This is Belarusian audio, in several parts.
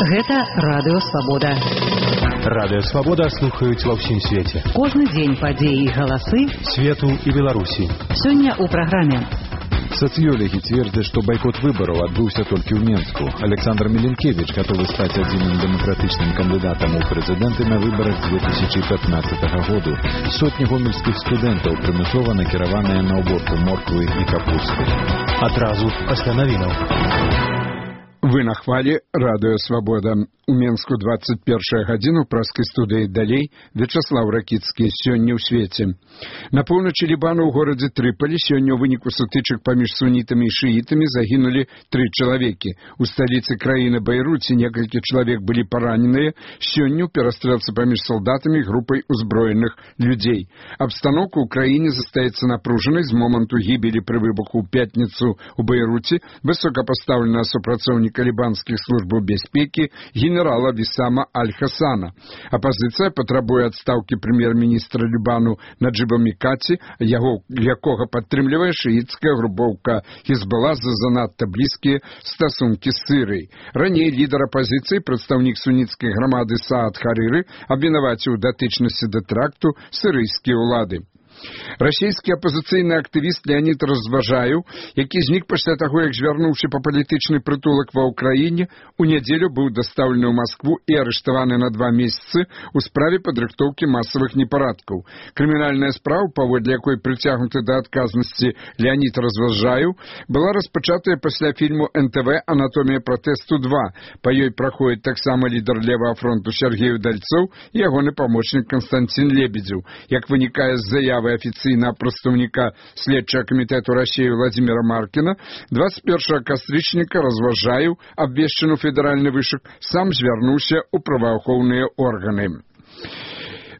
Гэта Радыё Свабода. Радыё Свабода слухаюць ва ўсім свеце. Кожны дзень падзеі і галасы свету і Беларусі. Сёння ў праграме. Социологи твердят, что бойкот выборов отбылся только в Минску. Александр Миленкевич готов стать одним демократичным кандидатом у президенты на выборах 2015 года. Сотни гомельских студентов примусово накированы на уборку морквы и капусты. Отразу пасля навінаў. Вы на хвале Радыё Свабода. У Менску 21 гадзіну праскай студыі далей Вячаслаў Ракіцкі сёння ў свеце. На поўначы Лібана ў горадзе Трыполі сёння ў выніку сутычак паміж сунітамі і шыітамі загінулі 3 чалавекі. У сталіцы краіны Бейруце некалькі чалавек былі параненыя сёння ў перастрэлцы паміж салдатамі і групай узброеных людзей. Абстаноўка ў краіне застаецца напружанай з моманту гібелі пры выбуху ў пятніцу ў Бейруце высокапастаўленага супрацоўніка лібанскіх службаў бяспекі генерала Вісама Аль-Хасана. Апазіцыя патрабуе адстаўкі прэм'ер-міністра Лібану Наджыба Мікаці, якога падтрымлівае шыіцкая групоўка Хізбалла за занадта блізкія стасункі з Сірыяй. Раней лідар апазіцыі, прадстаўнік суніцкай грамады Саад Харыры, абвінаваціў у датычнасці да тэракту сірыйскія ўлады. Расійскі апазіцыйны актывіст Леонід Разважаеў, які знік пасля таго, як звярнуўся па палітычны прытулак ва ўкраіне, у нядзелю быў дастаўлены ў Маскву і арыштаваны на 2 месяцы ў справе падрыхтоўкі масавых непарадкаў. Крымінальная справа, паводле якой прыцягнуты да адказнасці Леонід Разважаеў, была распачатая пасля фільму НТВ «Анатомія пратэсту 2». Па ёй праходзіць таксама лідар левага фронту Сергей Удальцоў і ягоны памочнік Константин Лебедзеў. Як вынікае з заявы афіцыйнага прадстаўніка следчага камітэту Расіі Владзіміра Маркіна, 21 кастрычніка Разважаеў, абвешчаны ў федэральны вышак, сам звярнуўся ў праваахоўныя органы.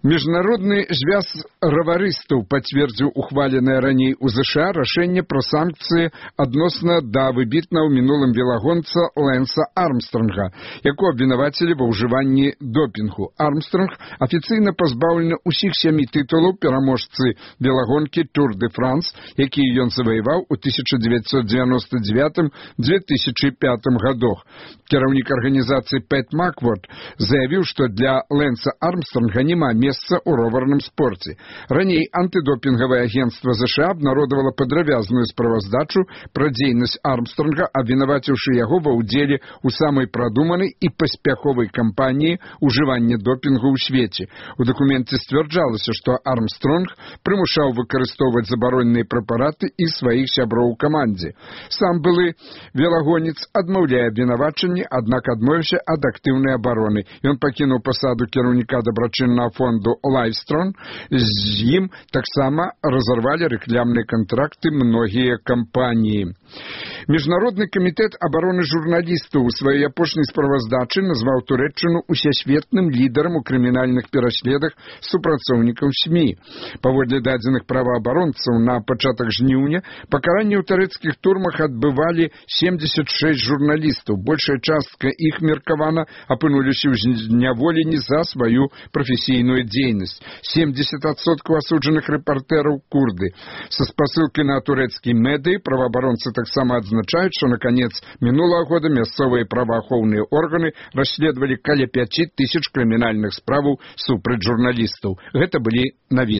Міжнародны звяз раварыстаў пацвердзіў ухваленае раней у ЗША рашэнне пра санкцыі адносна да выбітнага ў мінулым велагонца Лэнса Армстронга, якого абвінавацілі ва ўжыванні допінгу. Армстронг афіцыйна пазбаўлены ўсіх 7 тытулаў пераможцы велагонкі Тур де Франс, якія ён заваяваў у 1999-2005 годах. Кіраўнік арганізацыі Пэт Макворд заявіў, што для Лэнса Армстронга няма месца ў роварным спорце. Раней антыдопінгавае агенцтва ЗША абнародавала падрабязную справаздачу пра дзейнасць Армстронга, абвінаваціўшы яго ва ўдзеле ў самай прадуманай і паспяховай кампаніі ўжывання допінгу ў свеце. У дакуменце сцвярджалася, што Армстронг прымушаў выкарыстоўваць забароненыя прэпараты і сваіх сяброў у камандзе. Сам былы велагонец адмаўляе абвінавачанні, аднак адмовіўся ад актыўнай абароны. Ён пакінуў пасаду кіраўніка дабрачыннага фонду Лайвстрон, з ім таксама разарвалі рэкламныя кантракты многія кампаніі. Міжнародны камітэт абароны журналістаў у сваёй апошняй справаздачы назваў Турэччыну усесветным лідарам у крымінальных пераследах супрацоўнікаў СМІ. Паводле дадзеных праваабаронцаў, на пачатак жніўня пакаранне ў турэцкіх турмах адбывалі 76 журналістаў. Большая частка іх, меркавана, апынуліся ў зняволенні за сваю прафесійную дзейнасць. 70% асуджаных рэпартэраў курды. Са спасылкай на турэцкія медыі праваабаронцы таксама адзначаюць, што на канец мінулага года мясцовыя праваахоўныя органы расследавалі каля 5000 крымінальных справаў супраць журналістаў. Гэта былі навіны.